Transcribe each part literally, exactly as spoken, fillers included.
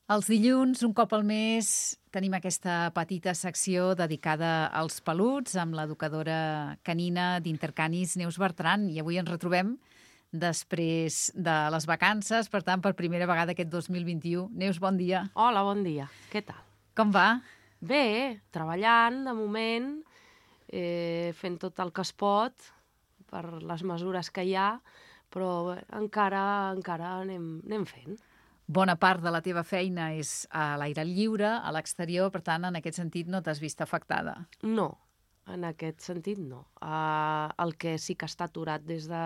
Els dilluns, un cop al mes, tenim aquesta petita secció dedicada als peluts amb l'educadora canina d'Intercanis, Neus Bertran, i avui ens retrobem després de les vacances, per tant, per primera vegada aquest dos mil vint-i-u. Neus, bon dia. Hola, bon dia. Què tal? Com va? Bé, treballant, de moment, eh, fent tot el que es pot per les mesures que hi ha, però bé, encara, encara anem, anem fent. Bona part de la teva feina és a l'aire lliure, a l'exterior, per tant, en aquest sentit no t'has vist afectada. No, en aquest sentit no. Uh, el que sí que està aturat des de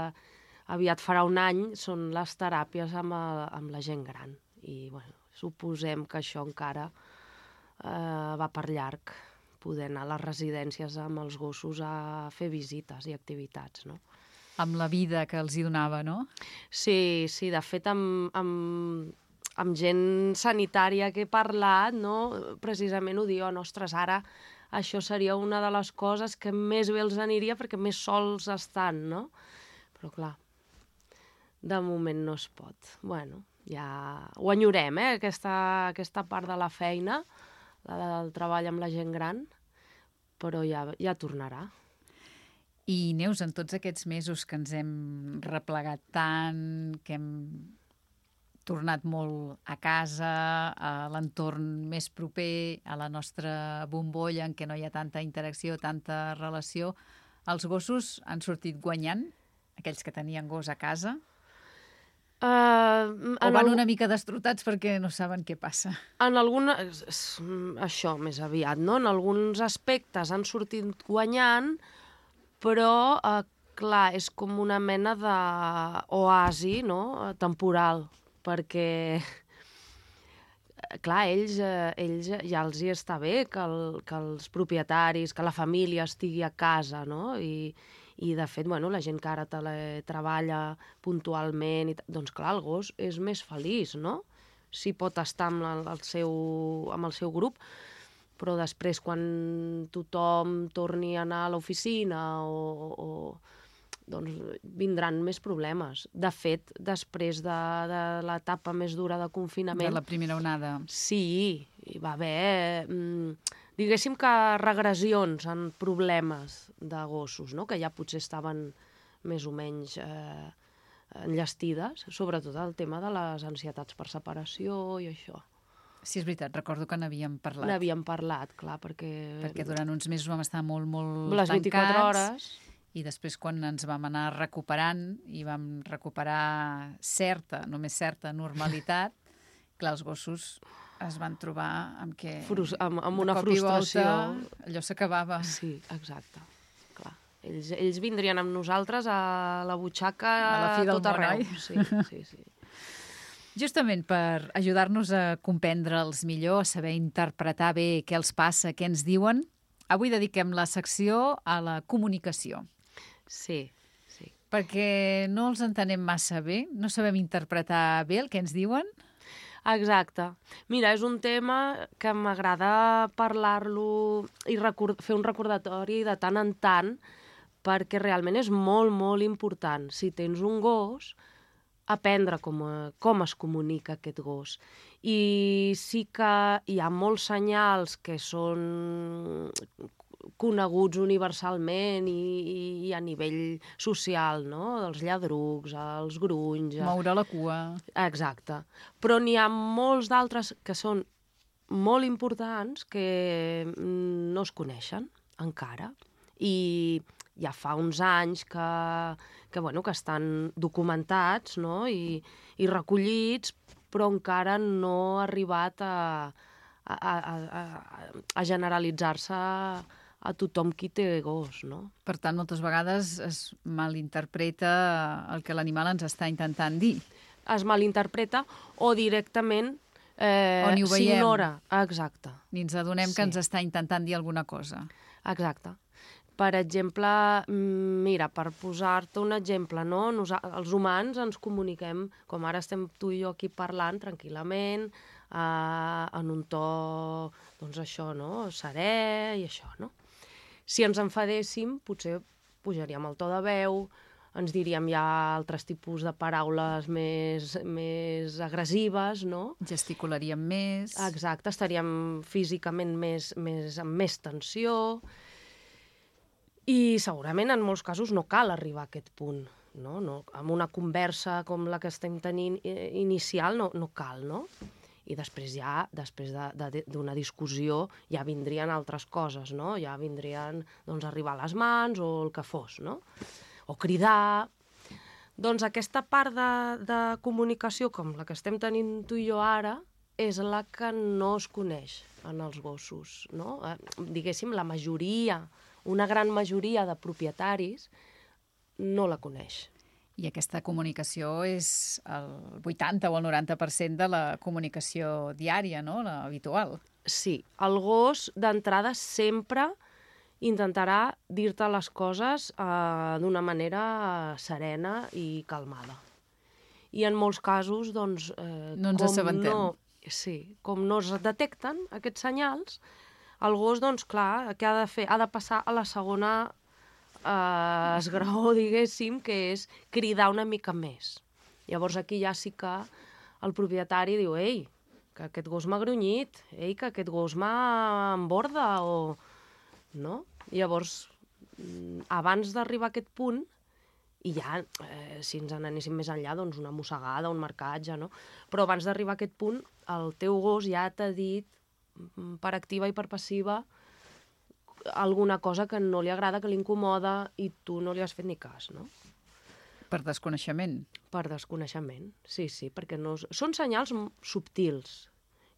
aviat farà un any són les teràpies amb, el, amb la gent gran. I bueno, suposem que això encara uh, va per llarg, poder anar a les residències amb els gossos a fer visites i activitats, no? Amb la vida que els hi donava, no? Sí, sí, de fet, amb, amb, amb gent sanitària que he parlat, no? Precisament ho diu, ostres, ara això seria una de les coses que més bé els aniria perquè més sols estan, no? Però clar, de moment no es pot. Bueno, ja ho enyorem, eh, aquesta, aquesta part de la feina, la del treball amb la gent gran, però ja, ja tornarà. I Neus, en tots aquests mesos que ens hem replegat tant, que hem tornat molt a casa, a l'entorn més proper, a la nostra bombolla en què no hi ha tanta interacció, tanta relació, els gossos han sortit guanyant, aquells que tenien gos a casa? Uh, o van una mica destrotats perquè no saben què passa? En algun... Això, més aviat, no? En alguns aspectes han sortit guanyant, però, uh, clar, és com una mena d'oasi, no?, temporal, perquè, clar, ells, eh, ells ja els hi està bé que, el, que els propietaris, que la família estigui a casa, no?, i, i de fet, bueno, la gent que ara treballa puntualment, i doncs clar, el gos és més feliç, no?, si pot estar amb el, el seu, amb el seu grup, però després quan tothom torni a anar a l'oficina o, o doncs vindran més problemes. De fet, després de, de l'etapa més dura de confinament... De la primera onada. Sí, hi va haver, mm, diguéssim que regressions en problemes de gossos, no?, que ja potser estaven més o menys eh, enllestides, sobretot el tema de les ansietats per separació i això. Sí, és veritat, recordo que n'havíem parlat. N'havíem parlat, clar, perquè... Perquè durant uns mesos vam estar molt, molt les tancats. vint-i-quatre hores. I després, quan ens vam anar recuperant i vam recuperar certa, només certa normalitat, clar, els gossos es van trobar amb que... Frus amb, amb una frustració. Volta, allò s'acabava. Sí, exacte. Clar. Ells, ells vindrien amb nosaltres a la butxaca a la fi del tot món, arreu. oi? Sí, sí, sí. Justament per ajudar-nos a comprendre'ls millor, a saber interpretar bé què els passa, què ens diuen, avui dediquem la secció a la comunicació. Sí, sí. Perquè no els entenem massa bé, no sabem interpretar bé el que ens diuen. Exacte. Mira, és un tema que m'agrada parlar-lo i record... fer un recordatori de tant en tant, perquè realment és molt, molt important. Si tens un gos, aprendre com, com es comunica aquest gos. I sí que hi ha molts senyals que són coneguts universalment i, i a nivell social, no?, dels lladrucs, els grunys... Moure la cua. Exacte. Però n'hi ha molts d'altres que són molt importants que no es coneixen encara. I ja fa uns anys que, que, bueno, que estan documentats, no?, i, i recollits, però encara no ha arribat a, a, a, a, a generalitzar-se a tothom qui té gos, no? Per tant, moltes vegades es malinterpreta el que l'animal ens està intentant dir. Es malinterpreta o directament eh, o ni ho veiem. S'ignora. Exacte. Ni ens adonem Sí. que ens està intentant dir alguna cosa. Exacte. Per exemple, mira, per posar-te un exemple, no? Nos, els humans ens comuniquem, com ara estem tu i jo aquí parlant tranquil·lament, eh, en un to, doncs això, no?, serè i això, no? Si ens enfadéssim, potser pujaríem el to de veu, ens diríem ja altres tipus de paraules més, més agressives, no? Gesticularíem més. Exacte, estaríem físicament més, més, amb més tensió. I segurament en molts casos no cal arribar a aquest punt, no? No, amb una conversa com la que estem tenint inicial no, no cal, no? I després ja, després d'una discussió, ja vindrien altres coses, no? Ja vindrien, doncs, arribar a les mans o el que fos, no? O cridar. Doncs aquesta part de, de comunicació, com la que estem tenint tu i jo ara, és la que no es coneix en els gossos, no? Eh, diguéssim, la majoria, una gran majoria de propietaris no la coneix. I aquesta comunicació és el vuitanta o el noranta per cent de la comunicació diària, no?, la habitual. Sí, el gos d'entrada sempre intentarà dir-te les coses eh, d'una manera serena i calmada. I en molts casos, doncs... Eh, no ens assabentem. No, sí, com no es detecten aquests senyals, el gos, doncs, clar, què ha de fer? Ha de passar a la segona eh, esgraó, diguéssim, que és cridar una mica més. Llavors aquí ja sí que el propietari diu, ei, que aquest gos m'ha grunyit, ei, que aquest gos m'ha emborda, o... no? Llavors, abans d'arribar a aquest punt, i ja, eh, si ens n'anéssim més enllà, doncs una mossegada, un marcatge, no? Però abans d'arribar a aquest punt, el teu gos ja t'ha dit, per activa i per passiva, alguna cosa que no li agrada, que li incomoda, i tu no li has fet ni cas, no? Per desconeixement. Per desconeixement, sí, sí, perquè no... Són senyals subtils.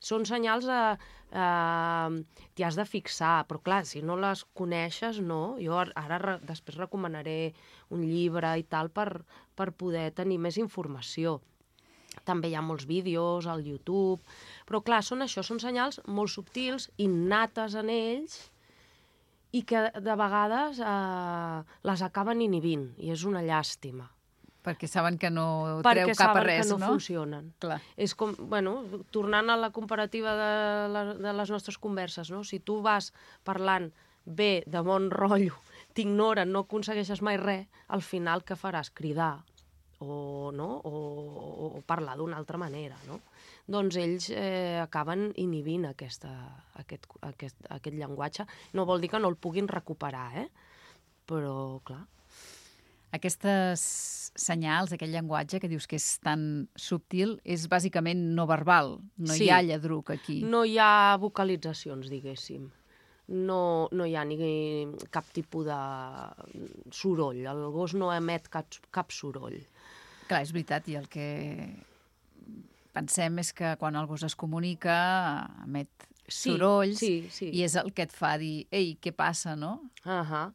Són senyals a... Eh, t'hi has de fixar, però clar, si no les coneixes, no. Jo ara re, després recomanaré un llibre i tal per, per poder tenir més informació. També hi ha molts vídeos al YouTube, però clar, són això, són senyals molt subtils, innates en ells, i que de vegades eh, les acaben inhibint, i és una llàstima. Perquè saben que no Perquè treu cap a res, no? Perquè saben que no, no funcionen. Clar. És com, bueno, tornant a la comparativa de, la, de les nostres converses, no? Si tu vas parlant bé, de bon rotllo, t'ignoren, no aconsegueixes mai res, al final què faràs? Cridar o, no? o, o, o parlar d'una altra manera, no? Doncs ells eh, acaben inhibint aquesta, aquest, aquest, aquest llenguatge. No vol dir que no el puguin recuperar, eh? Però, clar... Aquestes senyals, aquest llenguatge que dius que és tan subtil, és bàsicament no verbal. No sí. hi ha lladruc aquí. No hi ha vocalitzacions, diguéssim. No, no hi ha ni cap tipus de soroll. El gos no emet cap, cap soroll. Clar, és veritat, i el que pensem és que quan el gos es comunica emet sí, sorolls sí, sí. i és el que et fa dir, ei, què passa, no? Ahà.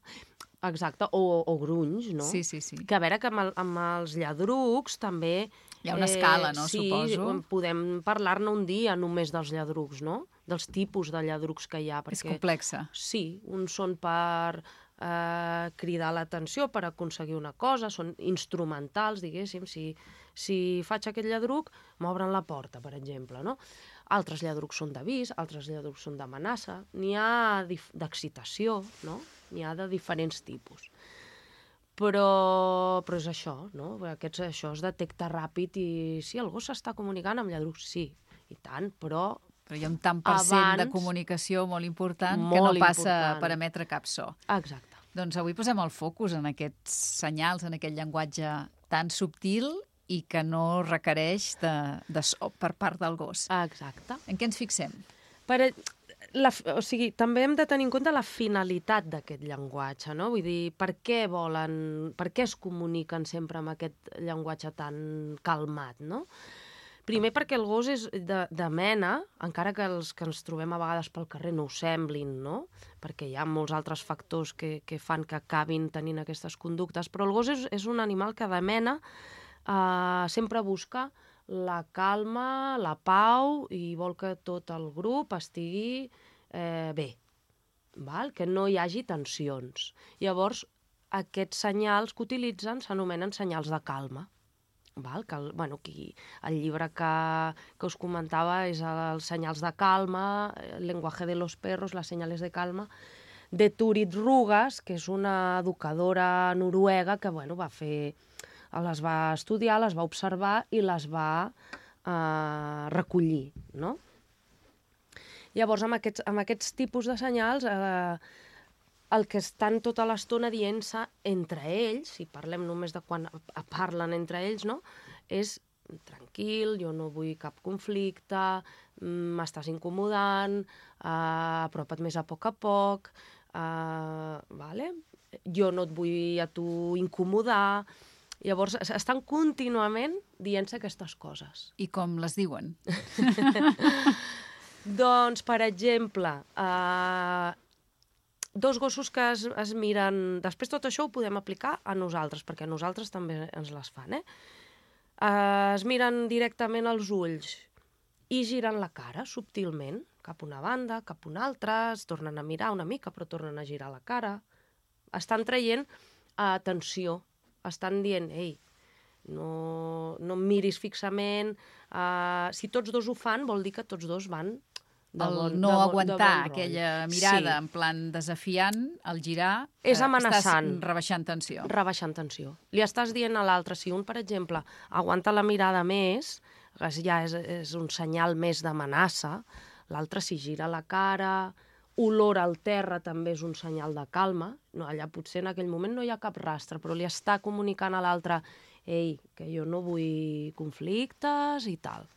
Exacte, o, o grunys, no? Sí, sí, sí. Que a veure que amb, el, amb els lladrucs també... Hi ha una eh, escala, no, sí, suposo? Sí, podem parlar-ne un dia només dels lladrucs, no? Dels tipus de lladrucs que hi ha. Perquè, és complexa. Sí, uns són per eh, cridar l'atenció, per aconseguir una cosa, són instrumentals, diguéssim. Si, si faig aquest lladruc, m'obren la porta, per exemple, no? Altres lladrucs són d'avís, altres lladrucs són d'amenaça. N'hi ha d'excitació, no? N'hi ha de diferents tipus. Però, però és això, no? Aquests, això es detecta ràpid i sí, el gos s'està comunicant amb lladrucs, sí, i tant, però... Però hi ha un tant per cent abans, de comunicació molt important molt que no passa important. per emetre cap so. Exacte. Doncs avui posem el focus en aquests senyals, en aquest llenguatge tan subtil i que no requereix de, de so per part del gos. Exacte. En què ens fixem? Per, la, o sigui, també hem de tenir en compte la finalitat d'aquest llenguatge, no? Vull dir, per què volen, per què es comuniquen sempre amb aquest llenguatge tan calmat, no? Primer perquè el gos és de, de mena, encara que els que ens trobem a vegades pel carrer no ho semblin, no? Perquè hi ha molts altres factors que, que fan que acabin tenint aquestes conductes, però el gos és, és un animal que de mena eh, sempre busca la calma, la pau, i vol que tot el grup estigui eh, bé, val? Que no hi hagi tensions. Llavors, aquests senyals que utilitzen s'anomenen senyals de calma. Val? Que el, bueno, qui, el llibre que, que us comentava és els senyals de calma, el lenguaje de los perros, les senyales de calma, de Turid Rugas, que és una educadora noruega que, bueno, va fer... les va estudiar, les va observar i les va eh, recollir, no? Llavors, amb aquests, amb aquests tipus de senyals, eh, el que estan tota l'estona dient-se entre ells, si parlem només de quan parlen entre ells, no? És tranquil, jo no vull cap conflicte, m'estàs incomodant, eh, apropa't més a poc a poc, eh, vale? Jo no et vull a tu incomodar. Llavors, estan contínuament dient-se aquestes coses. I com les diuen? Doncs, per exemple, eh, dos gossos que es, es miren... Després tot això ho podem aplicar a nosaltres, perquè a nosaltres també ens les fan, eh? Eh, es miren directament als ulls i giren la cara subtilment, cap una banda, cap una altra, es tornen a mirar una mica, però tornen a girar la cara. Estan traient eh, tensió. Estan dient, ei, no, no em miris fixament. Uh, si tots dos ho fan, vol dir que tots dos van de el bon, no de bon, aguantar de bon aquella mirada sí. en plan desafiant, el girar, és eh, amenaçant. Estàs rebaixant tensió. Rebaixant tensió. Li estàs dient a l'altre, si un, per exemple, aguanta la mirada més, ja és, és un senyal més d'amenaça, l'altre si gira la cara... Olor al terra també és un senyal de calma. No, allà potser en aquell moment no hi ha cap rastre, però li està comunicant a l'altre ei, que jo no vull conflictes i tal.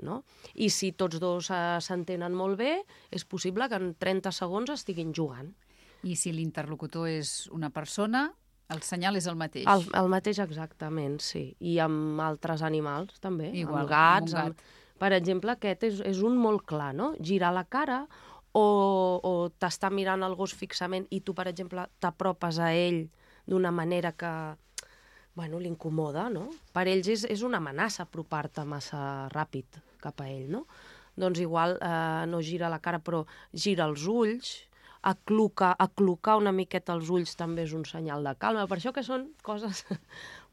No? I si tots dos s'entenen molt bé, és possible que en trenta segons estiguin jugant. I si l'interlocutor és una persona, el senyal és el mateix. El, el mateix exactament, sí. I amb altres animals també, igual, amb gats. amb un gat. Amb... Per exemple, aquest és, és un molt clar, no? Girar la cara o, o t'està mirant el gos fixament i tu, per exemple, t'apropes a ell d'una manera que, bueno, l'incomoda, no? Per ells és, és una amenaça apropar-te massa ràpid cap a ell, no? Doncs igual eh, no gira la cara, però gira els ulls, aclucar, aclucar una miqueta els ulls també és un senyal de calma. Per això que són coses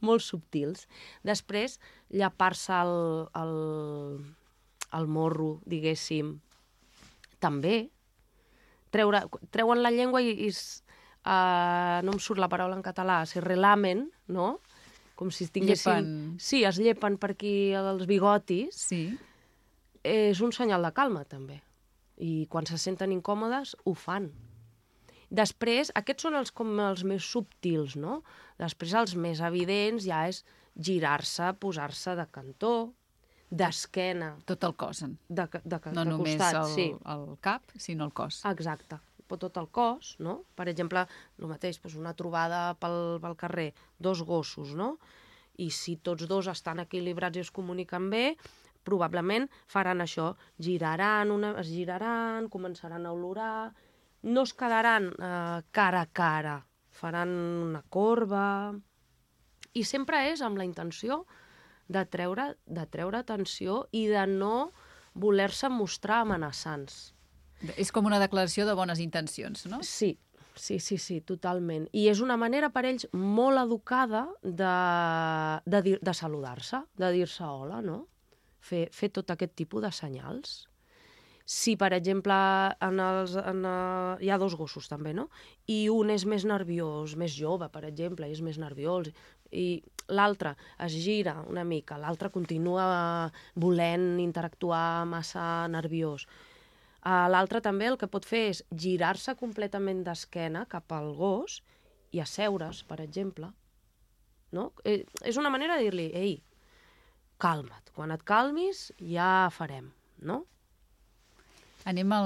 molt subtils. Després, llapar-se el, el, el morro, diguéssim, també. Treure, treuen la llengua i, i uh, no em surt la paraula en català, se relamen, no? Com si tinguessin... Llepen. Sí, es llepen per aquí els bigotis. Sí. És un senyal de calma, també. I quan se senten incòmodes, ho fan. Després, aquests són els, com els més subtils, no? Després, els més evidents ja és girar-se, posar-se de cantó, d'esquena. Tot el cos. De, de, de, no de només costat, el, sí. el cap, sinó el cos. Exacte. Tot el cos, no? Per exemple, el mateix, doncs una trobada pel, pel carrer, dos gossos, no? I si tots dos estan equilibrats i es comuniquen bé, probablement faran això, giraran, una, es giraran, començaran a olorar, no es quedaran eh, cara a cara, faran una corba, i sempre és amb la intenció de treure, de treure atenció i de no voler-se mostrar amenaçants. És com una declaració de bones intencions, no? Sí, sí, sí, sí, totalment. I és una manera per ells molt educada de, de, dir, de saludar-se, de dir-se hola, no? Fer, fer tot aquest tipus de senyals. Si, per exemple, en els, en, uh, hi ha dos gossos també, no? I un és més nerviós, més jove, per exemple, i és més nerviós, i l'altre es gira una mica, l'altre continua volent interactuar massa nerviós. Uh, l'altre també el que pot fer és girar-se completament d'esquena cap al gos i asseure's, per exemple. No? Eh, és una manera de dir-li, ei, calma't, quan et calmis ja farem, no? Anem a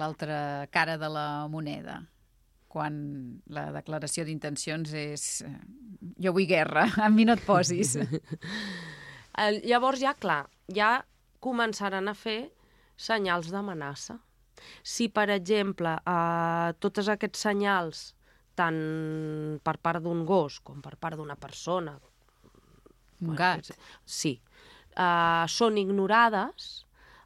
l'altra cara de la moneda, quan la declaració d'intencions és jo vull guerra, a mi no et posis. Llavors ja, clar, ja començaran a fer senyals d'amenaça. Si, per exemple, eh, tots aquests senyals, tant per part d'un gos com per part d'una persona, un gat, sí, eh, són ignorades,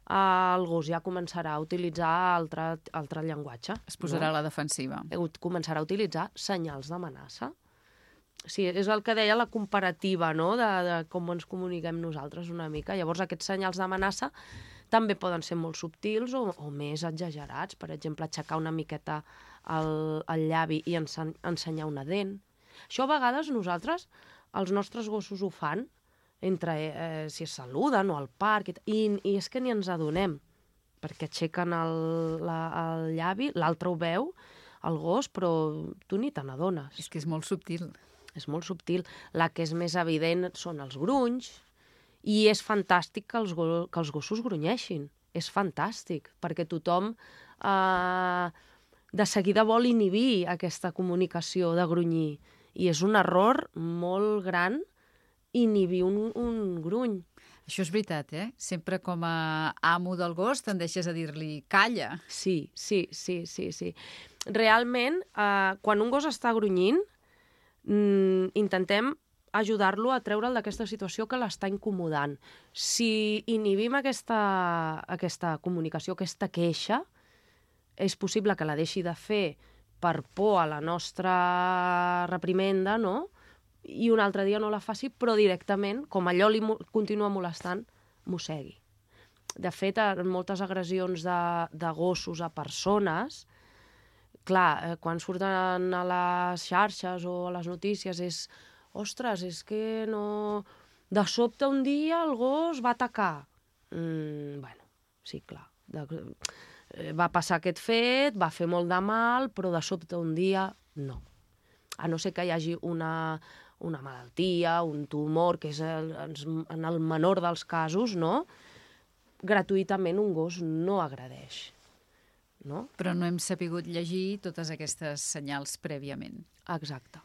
eh, el gos ja començarà a utilitzar altre, altre llenguatge. Es posarà no? a la defensiva. Començarà a utilitzar senyals d'amenaça. Sí, és el que deia la comparativa, no?, de, de com ens comuniquem nosaltres una mica. Llavors, aquests senyals d'amenaça també poden ser molt subtils o, o més exagerats. Per exemple, aixecar una miqueta el, el llavi i ensen ensenyar una dent. Això a vegades nosaltres, els nostres gossos ho fan, entre eh, si es saluden o al parc, i, i és que ni ens adonem, perquè aixequen el, la, el llavi, l'altre ho veu, el gos, però tu ni te n'adones. És que és molt subtil. És molt subtil. La que és més evident són els grunys, i és fantàstic que els, go que els gossos grunyeixin. És fantàstic, perquè tothom eh, de seguida vol inhibir aquesta comunicació de grunyir. I és un error molt gran inhibir un, un gruny. Això és veritat, eh? Sempre com a amo del gos tendeixes a dir-li calla. Sí, sí, sí, sí, sí. Realment, eh, quan un gos està grunyint, mm, intentem ajudar-lo a treure'l d'aquesta situació que l'està incomodant. Si inhibim aquesta, aquesta comunicació, aquesta queixa, és possible que la deixi de fer per por a la nostra reprimenda, no?, i un altre dia no la faci, però directament, com allò li mo continua molestant, mossegui. De fet, en moltes agressions de, de gossos a persones, clar, eh, quan surten a les xarxes o a les notícies és, ostres, és que no... De sobte un dia el gos va atacar. Mm, bueno, sí, clar. De... Va passar aquest fet, va fer molt de mal, però de sobte un dia no. A no ser que hi hagi una... una malaltia, un tumor, que és el, en el menor dels casos, no? Gratuïtament un gos no agredeix. No? Però no hem sapigut llegir totes aquestes senyals prèviament. Exacte.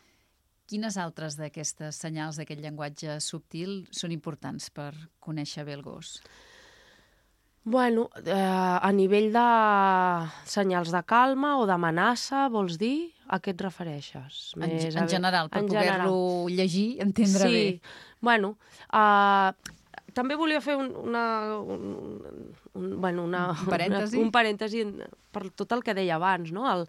Quines altres d'aquestes senyals d'aquest llenguatge subtil són importants per conèixer bé el gos? Bueno, eh, a nivell de senyals de calma o d'amenaça, vols dir? A què et refereixes? Més, en, en general, per poder-lo llegir, entendre sí. bé. Bueno, uh, també volia fer un, una, un, un, bueno, una, un parèntesi, una, un parèntesi per tot el que deia abans, no? El,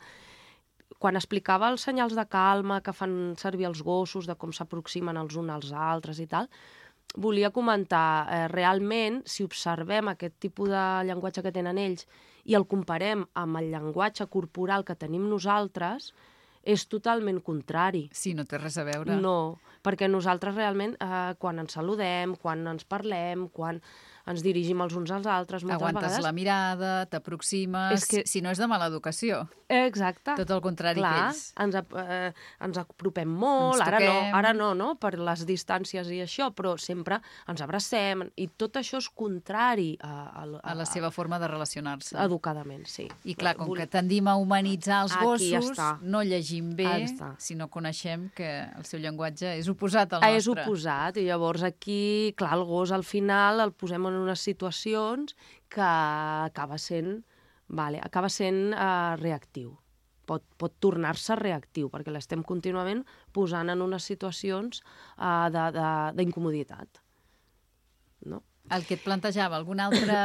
quan explicava els senyals de calma que fan servir els gossos, de com s'aproximen els uns als altres i tal, volia comentar, eh, realment, si observem aquest tipus de llenguatge que tenen ells i el comparem amb el llenguatge corporal que tenim nosaltres, és totalment contrari. Sí, no té res a veure. No, perquè nosaltres realment, eh, quan ens saludem, quan ens parlem, quan ens dirigim els uns als altres, moltes aguantes vegades... la mirada, t'aproximes... Que... Si no és de mala educació. Exacte. Tot el contrari Clar, que ells. Ens, eh, ens apropem molt, ens ara no, ara no, no, per les distàncies i això, però sempre ens abracem, i tot això és contrari a... A, a, a la seva forma de relacionar-se. Educadament, sí. I clar, com que tendim a humanitzar els Aquí gossos, ja no llegim bé si no coneixem que el seu llenguatge és oposat al nostre. És oposat, i llavors aquí, clar, el gos al final el posem en unes situacions que acaba sent, vale, acaba sent uh, reactiu. Pot, pot tornar-se reactiu, perquè l'estem contínuament posant en unes situacions uh, d'incomoditat. No? El que et plantejava, algun altre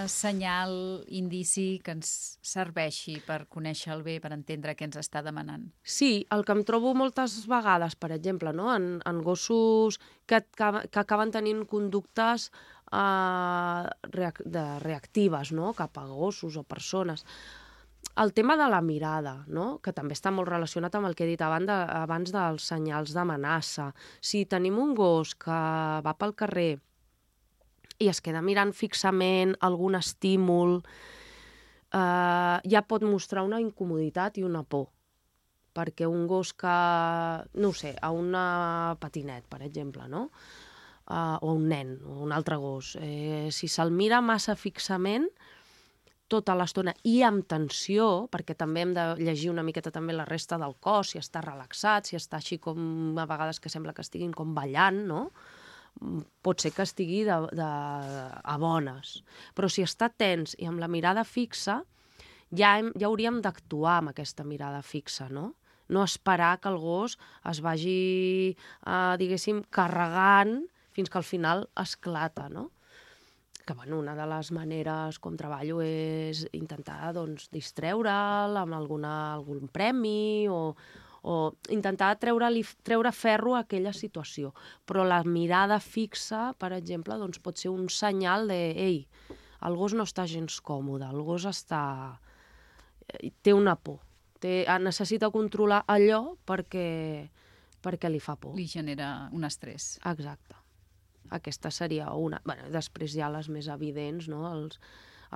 senyal, indici que ens serveixi per conèixer-lo bé, per entendre què ens està demanant? Sí, el que em trobo moltes vegades, per exemple, no? en, en gossos que, que acaben tenint conductes uh, reac de reactives, no? Cap a gossos o persones. El tema de la mirada, no? Que també està molt relacionat amb el que he dit abans, de, abans dels senyals d'amenaça. Si tenim un gos que va pel carrer i es queda mirant fixament algun estímul, eh, ja pot mostrar una incomoditat i una por. Perquè un gos que, no ho sé, a una patinet, per exemple, no? Uh, o un nen, o un altre gos, eh, si se'l mira massa fixament tota l'estona i amb tensió, perquè també hem de llegir una miqueta també la resta del cos, si està relaxat, si està així com a vegades que sembla que estiguin com ballant, no? Pot ser que estigui de, de, a bones. Però si està tens i amb la mirada fixa, ja, hem, ja hauríem d'actuar amb aquesta mirada fixa, no? No esperar que el gos es vagi, eh, diguéssim, carregant fins que al final esclata, no? Que, bueno, una de les maneres com treballo és intentar, doncs, distreure'l amb alguna, algun premi o, o intentar treure, treure ferro a aquella situació. Però la mirada fixa, per exemple, doncs, pot ser un senyal de «Ei, el gos no està gens còmode, el gos està... té una por, té... necessita controlar allò perquè, perquè li fa por. Li genera un estrès. Exacte. Aquesta seria una... Bueno, després hi ha les més evidents, no? Els,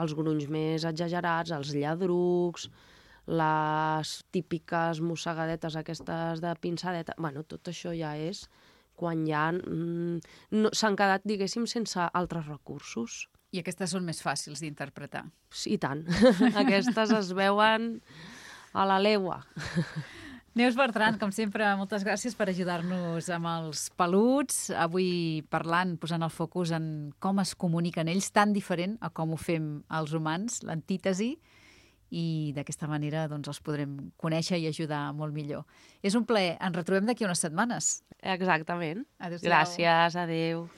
els grunys més exagerats, els lladrucs, les típiques mossegadetes aquestes de pinçadeta... Bueno, tot això ja és quan ja mm, no, s'han quedat, diguéssim, sense altres recursos. I aquestes són més fàcils d'interpretar. I tant. Aquestes es veuen a la legua. Neus Bertran, com sempre, moltes gràcies per ajudar-nos amb els peluts. Avui parlant, posant el focus en com es comuniquen ells, tan diferent a com ho fem els humans, l'antítesi, i d'aquesta manera doncs, els podrem conèixer i ajudar molt millor. És un plaer. Ens retrobem d'aquí unes setmanes. Exactament. Adéu-siau. Gràcies, adéu.